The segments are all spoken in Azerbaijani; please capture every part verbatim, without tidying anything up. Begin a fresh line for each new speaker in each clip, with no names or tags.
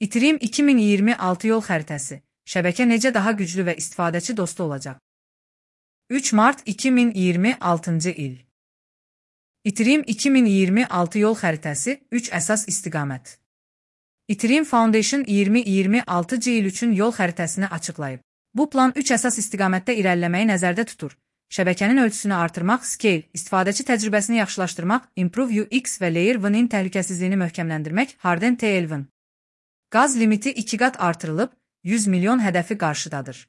İTRIM iki min iyirmi altı yol xəritəsi. Şəbəkə necə daha güclü və istifadəçi dostu olacaq? üç mart iki min iyirmi altıncı il. İTRIM iki min iyirmi altı yol xəritəsi üç əsas istiqamət. İTRIM Foundation iyirmi iyirmi altıncı il üçün yol xəritəsini açıqlayıb. Bu plan üç əsas istiqamətdə irəliləməyi nəzərdə tutur. Şəbəkənin ölçüsünü artırmaq, scale, istifadəçi təcrübəsini yaxşılaşdırmaq, improve U X və layer one-in təhlükəsizliyini möhkəmləndirmək, harden T L one. Qaz limiti iki qat artırılıb, yüz milyon hədəfi qarşıdadır.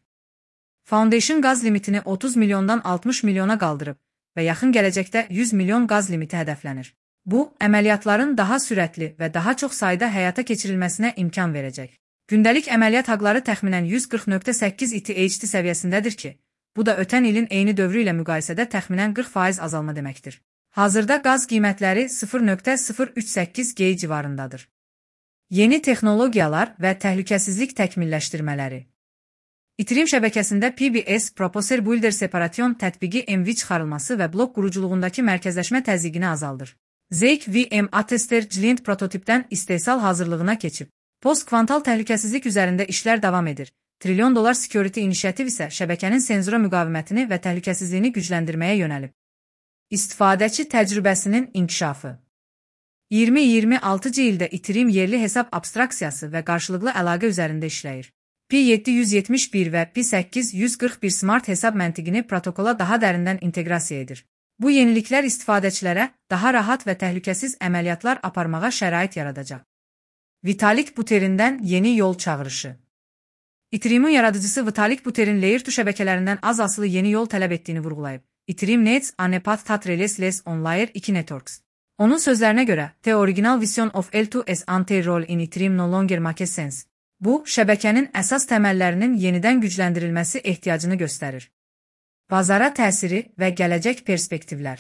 Foundation qaz limitini otuz milyondan altmış milyona qaldırıb və yaxın gələcəkdə yüz milyon qaz limiti hədəflənir. Bu, əməliyyatların daha sürətli və daha çox sayda həyata keçirilməsinə imkan verəcək. Gündəlik əməliyyat haqları təxminən yüz qırx nöqtə səkkiz I T H D səviyyəsindədir ki, bu da ötən ilin eyni dövrü ilə müqayisədə təxminən qırx faiz azalma deməkdir. Hazırda qaz qiymətləri sıfır nöqtə sıfır üç səkkiz G civarındadır. Yeni texnologiyalar və təhlükəsizlik təkmilləşdirmələri. İTRIM şəbəkəsində P B S Proposer Builder Separation tətbiqi M V çıxarılması və blok quruculuğundakı mərkəzləşmə təzyiqini azaldır. Zeek V M Attester Client prototipdən istehsal hazırlığına keçib. Post-kvantal təhlükəsizlik üzərində işlər davam edir. Trilyon dollar security inisiativ isə şəbəkənin senzura müqavimətini və təhlükəsizliyini gücləndirməyə yönəlib. İstifadəçi təcrübəsinin inkişafı. iyirmi iyirmi altıncı ildə İTRIM yerli hesab abstraksiyası və qarşılıqlı əlaqə üzərində işləyir. P yeddi yüz yetmiş bir və P səkkiz yüz qırx bir smart hesab məntiqini protokola daha dərindən inteqrasiya edir. Bu yeniliklər istifadəçilərə daha rahat və təhlükəsiz əməliyyatlar aparmağa şərait yaradacaq. Vitalik Buterin'dən yeni yol çağırışı. İTRIM'in yaradıcısı Vitalik Buterin Layer iki şəbəkələrindən az asılı yeni yol tələb etdiyini vurğulayıb. İTRIM Nets a ne path that relies less on Layer two networks. Onun sözlərinə görə, The original vision of L two as anti-role in İTRIM no longer makes sense. Bu, şəbəkənin əsas təməllərinin yenidən gücləndirilməsi ehtiyacını göstərir. Bazara təsiri və gələcək perspektivlər.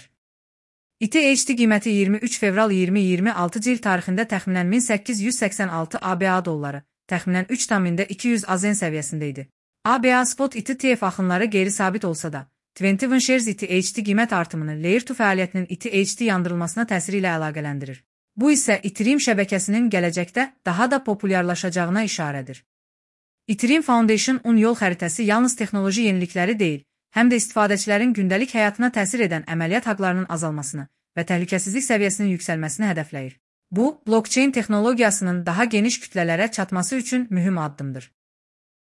I T H D qiyməti iyirmi üç fevral iyirmi iyirmi altıncı il tarixində təxminən min səkkiz yüz səksən altı A B A dolları, təxminən üç min iki yüz A Z N səviyyəsində idi. A B A Spot I T F axınları qeyri-sabit olsa da, yirmi bir shares I T H D qiymət artımını Layer iki fəaliyyətinin I T H D yandırılmasına təsiri ilə əlaqələndirir. Bu isə İTRIM şəbəkəsinin gələcəkdə daha da populyarlaşacağına işarədir. İTRIM Foundation on yol xəritəsi yalnız texnoloji yenilikləri deyil, həm də istifadəçilərin gündəlik həyatına təsir edən əməliyyat haqlarının azalmasını və təhlükəsizlik səviyyəsinin yüksəlməsini hədəfləyir. Bu, blockchain texnologiyasının daha geniş kütlələrə çatması üçün mühüm addımdır.